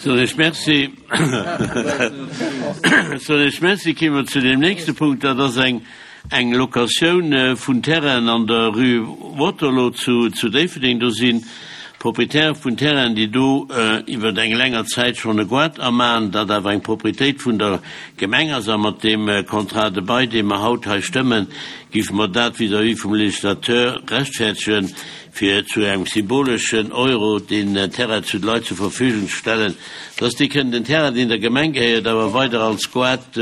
Soen ech Merci. Soen ech Merci. Kéime mer zu deem nächste Punkt. Dat ass eng, eng Locatioun vun Terrainen an der Rue Waterloo zu, zu Déifferdeng. Do si Propriétaire vun Terrainen, déi do iwwer eng länger Zäit schonn e Goart amaen, dat awer eng Propriétéit vun der Gemeng ass. A mat deem Contrat de bail, dee mer haut hei stëmmen, géife mer dat vis-à-vis vum Législateur rechtfertegen, fir zu engem symboleschen Euro deen Terrain zu de Leit zur Verfügung ze stellen, dass déi kënnen den Terrain, deen der Gemeng gehéiert, awer weider als Goart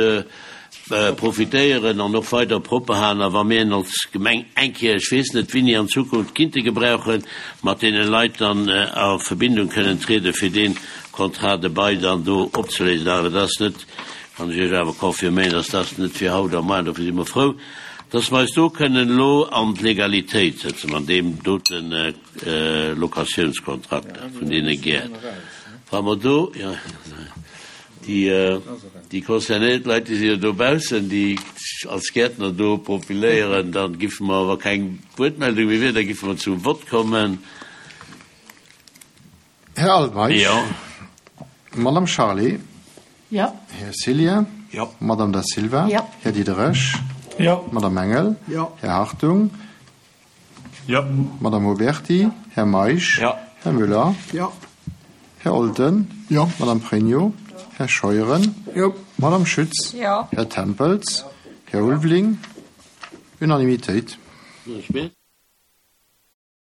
profitéieren an och weider propper halen. A wa mir en als Gemeng eng Kéier, ech weess net wéini an Zukunft, kinnte gebrauchen, mat deene Leit dann a Verbindung kënnen trieden, fir dee Contrat de bail dann do opzeléisen. Awer dat ass net, kann ech Iech awer confirméieren, dass dat net fir haut a moar, dofir si mer frou, Dass mer eis do kënnen elo an d'Legalitéit sëtzen an deem dote Locatiounskontrakt vun deene Gäert, wa mer do, jo, déi concernéiert Leit, déi si jo dobaussen, déi sech als Gäertner do profiléieren, da giffe mer, wa keng Wuertmeldung méi wier, da giffe mer zum Vott kommen. Här Altmeisch. Jo. Madame Charlé. Jo. Här Cillien. Jo. Madame Da Silva. Jo. Här Diderich. Jo. Madame Engel. Jo. Här Hartung. Jo. Madame Oberti. Här Meisch. Jo. Här Müller. Jo. Här Olten. Jo. Madame Pregno. Här Scheuren. Jo. Madame Schütz. Jo. Här Tempels. Här Ulveling. Unanimitéit.